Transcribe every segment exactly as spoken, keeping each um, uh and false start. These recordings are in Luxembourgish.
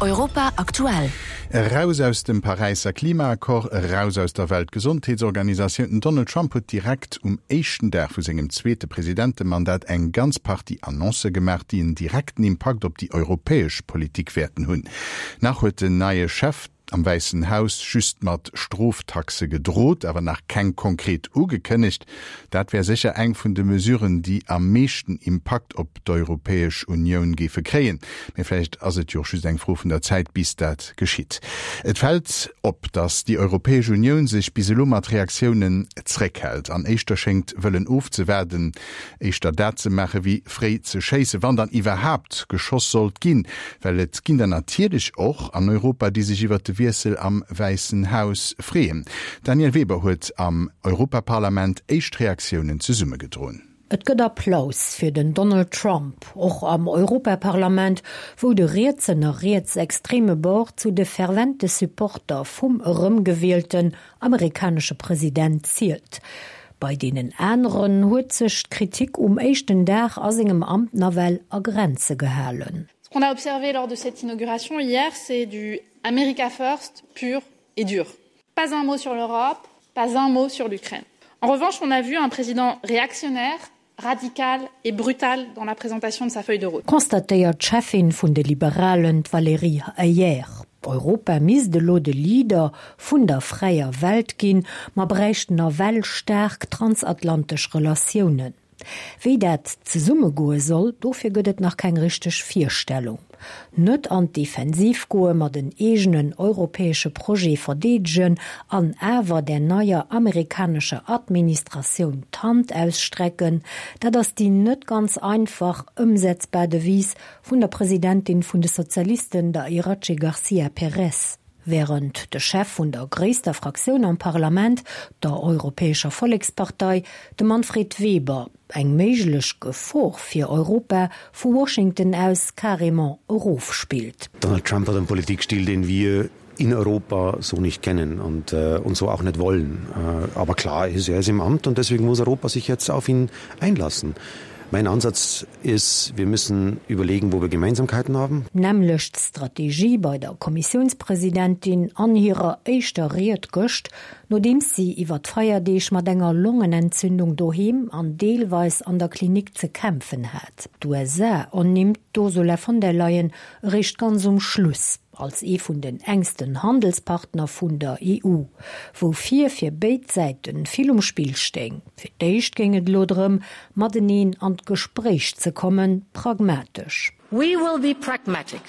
Europa aktuell. Eraus aus dem Paräisser Klimaaccord, eraus aus der Weltgesondheetsorganisatioun, Den Donald Trump huet direkt um éischten Dag vu sengem zweete Presidentemandat eng ganz Partie Annoncë gemaach, déi en direkten Impakt op déi europäesch Politik wäerten hunn. Nach huet den neie Chef am Wäissen Haus just mat Stroftaxe gedrot, awer nach keng konkret ugekënnegt. Dat wär sécher eng vun de Mesuren, déi am meeschten Impakt op d'Europäesch Unioun géife kréien. Mee vläicht ass et jo och just eng Fro vun der Zäit, bis dat geschitt. Et fält op, datt déi Europäesch Unioun sech bis elo mat Reaktiounen zréckhält an éischter schéngt wëllen ofzewaarden, éischter dat ze maache wéi fréi ze schéissen, wann dann iwwerhaapt geschoss sollt ginn. Well et ginn der natierlech och an Europa, déi sech iwwert de Wiessel am Wäissen Haus freeën. D'Danièle Weber huet am Europaparlament éischt Reaktiounen zesummegedroen. Et gëtt Applaus fir den Donald Trump, och am Europaparlament, wou de rietsen a rietsextreme Bord zu de fervente Supporter vum erëmgewielten amerikanesche President zielt. Bei deenen aneren huet sech d'Kritik um éischten Dag a sengem Amt nawell a Grenze gehalen. Ce qu'on a observé lors de cette inauguration hier, c'est du America First pur et dur. Pas un mot sur l'Europe, pas un mot sur l'Ukraine. En revanche, on a vu un président réactionnaire, radical et brutal dans la présentation de sa feuille de route. Constatéiert d'Cheffin vun de Liberalen, d'Valérie Hayer. Europa misst elo de Leader vun der fräier Welt ginn, ma bräicht nawell staark transatlantesch Relatiounen. Wéi dat zesummegoe soll, dofir gëtt et nach keng richteg Virstellung. Net an d'Defensiv goen, ma den eegenen europäesche Projet verdeedegen an awer der neier amerikanescher Administratioun d'Hand ausstrecken, dat ass déi net ganz einfach ëmsetzbar Devise vun der Presidentin vun de Sozialisten, der Iratxe Garcia Perez. Wärend de Chef vun der gréisster Fraktioun am Parlament, der Europäescher Vollekspartei, de Manfred Weber, eng méiglech Gefor fir Europa vu Washington aus carrément erofspillt. Donald Trump hat einen Politikstil, den wir in Europa so nicht kennen und, äh, und so auch nicht wollen. Äh, aber klar ist, er ist im Amt und deswegen muss Europa sich jetzt auf ihn einlassen. Mein Ansatz ist, wir müssen überlegen, wo wir Gemeinsamkeiten haben. Nämmlecht Strategie bei der Kommissiounspresidentin an hirer éischter Ried gëscht, nodeems si iwwer d'Feierdeeg mat enger Longenentzündung doheem an deelweis an der Klinik ze kämpfen hat. D'USA ernimmt d'Ursula von der Leyen eréischt ganz um Schluss als ee vun den enksten Handelspartner vun der E U, woufir fir béid Säite vill um Spill stéing. Fir d'éischt géing et elo drëm, mateneen an d'Gespréich ze kommen, pragmatesch. We will be pragmatic,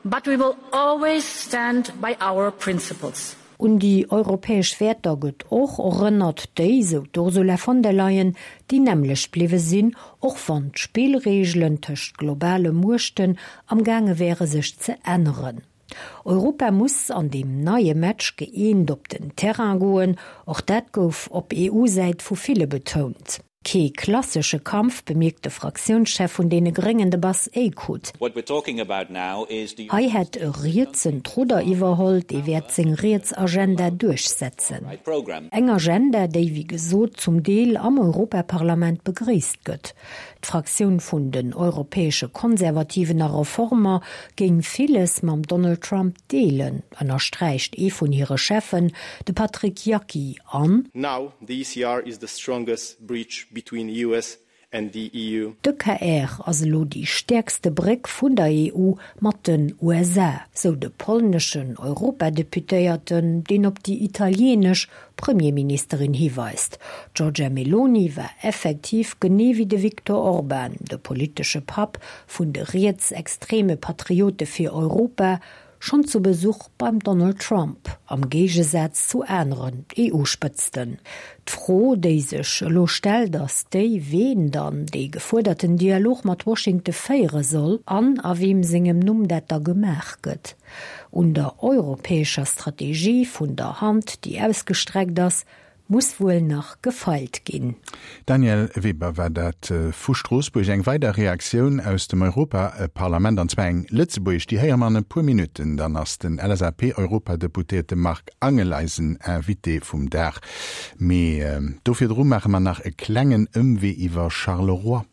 but we will always stand by our principles. Un déi europäesch Wäerter gëtt och erënnert, déi, sou d'Ursula von der Leyen, déi nämmlecht bliwwe sinn, och wann d'Spillreegelen tëscht globale Muechten amgaange wäre sech ze änneren. Europa muss an deem neie Match gëeent op den Terrain goen, och dat gouf op E U-Säit vu ville betount. Kee klassesche Kampf, bemierkt de Fraktiounschef vun deene Gréngen, de Bas Eickhout. Hei hätt e Rietsen d'Rudder iwwerholl, dee wäert seng riets Agenda duerchsetzen. Eng Agenda, déi wéi gesot zum Deel am Europaparlament begréisst gëtt. D'Fraktioun vun den Europäesche Konservativen a Reformer géing villes mam Donald Trump deelen, ënnersträicht ee vun hire Cheffen, de Patrik Jaki, an. Now the E C R is the strongest bridge between U S and the E U. D'E C R ass elo déi stäerkste Bréck vun der E U mat den U S A, sou de polneschen Europadeputéierten, deen op déi italieenesch Premierministerin hiweist. D'Giorgia Meloni war effektiv genee wéi de Viktor Orban, de politesche Papp vun de rietsextreme Patriote fir Europa, schonn zu Besuch beim Donald Trump, am Géigesaz zu aneren E U-Spëtzten. D'Fro, déi sech elo stellt, ass déi, ween dann dee gefuerderten Dialog mat Washington féiere soll an a weem sengem Numm dat da gemaach gëtt. Un der europäescher Strategie vun der Hand, déi ausgestreckt ass, muss wuel nach gefeilt ginn. Danièle Weber war dat vu Stroossbuerg. Eng weider Reaktioun aus dem Europaparlament, an zwar eng lëtzebuergesch, déi héiere mer an e puer Minutten. Dann ass den L S A P-Europadeputéierte Marc Angel eisen Invité vum Dag. Mee do virdru maache mer nach e klengen Ëmwee iwwer Charleroi.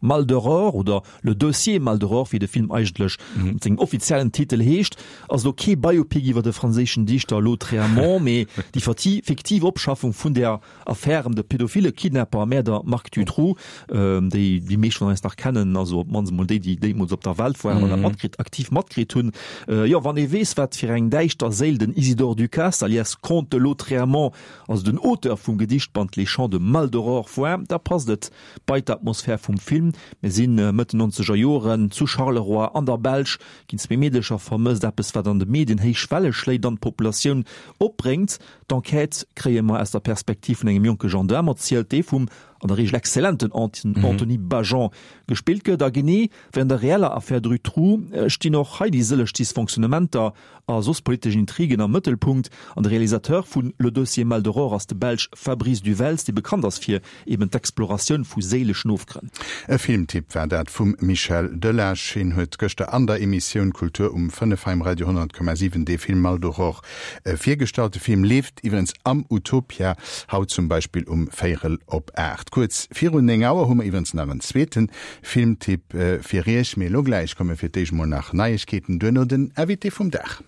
Maldoror oder Le dossier Maldoror, wéi de Film eigentlech mat sengem offiziellen Titel heescht, ass elo kee Biopic iwwer de franséischen Dichter Lautréamont, mee déi fiktiv Opschaffung vun der Affär ëm de pädophile Kidnapper a Mäerder Marc Dutroux, déi déi meescht vun eis nach kennen, also op d'mannst emol déi, déi deemools op der Welt waren an dat matkritt, aktiv matkritt hunn. Jo, wann ee weess, wat fir eng däischter Séil den Isidore Ducasse, alias Comte de Lautréamont, also den Auteur vum Gedichtband Les Chants de Maldoror war, da passt et bei d'Atmosphär vum Film. Mir si Mëtt den nonzeger Joren zu Charleroi an der Belsch, ginn zwee Meedecher vermësst, eppes wat an de Medien héich Welle schléit an d'Populatioun opbréngt. D'Enquête kréie mer aus der Perspektiv vun engem jonke Gendaarm erzielt, dee vum an der Reegel exzellenten Anthony Bajon gespillt gëtt. A genee wéi an der reeller Affär Dutroux stinn och hei déi sëlleg Dysfonctionnementer a soss politesch Intrigen am Mëttelpunkt. An de Realisateur vu Le dossier Maldoror ass de Belsch Fabrice du Welz, dee bekannt ass fir eben d'Exploratioun vu séileschen Ofgrënn. E Filmtipp war dat vum Michel Delage. Hien huet gëschter an der Emissioun Kultur um fënnef hei um Radio honnert Komma siwen dee Film Maldoror virgestallt. De Film leeft iwwerens am Utopia, haut zum Beispill um véierel op aacht. Kuerz virun néng Auer hu mer iwwerens nach en zweete Filmtipp fir Iech. Mee elo gläich komme fir d'éischt mol nach Neiegkeeten, duerno den Invité vum Dag.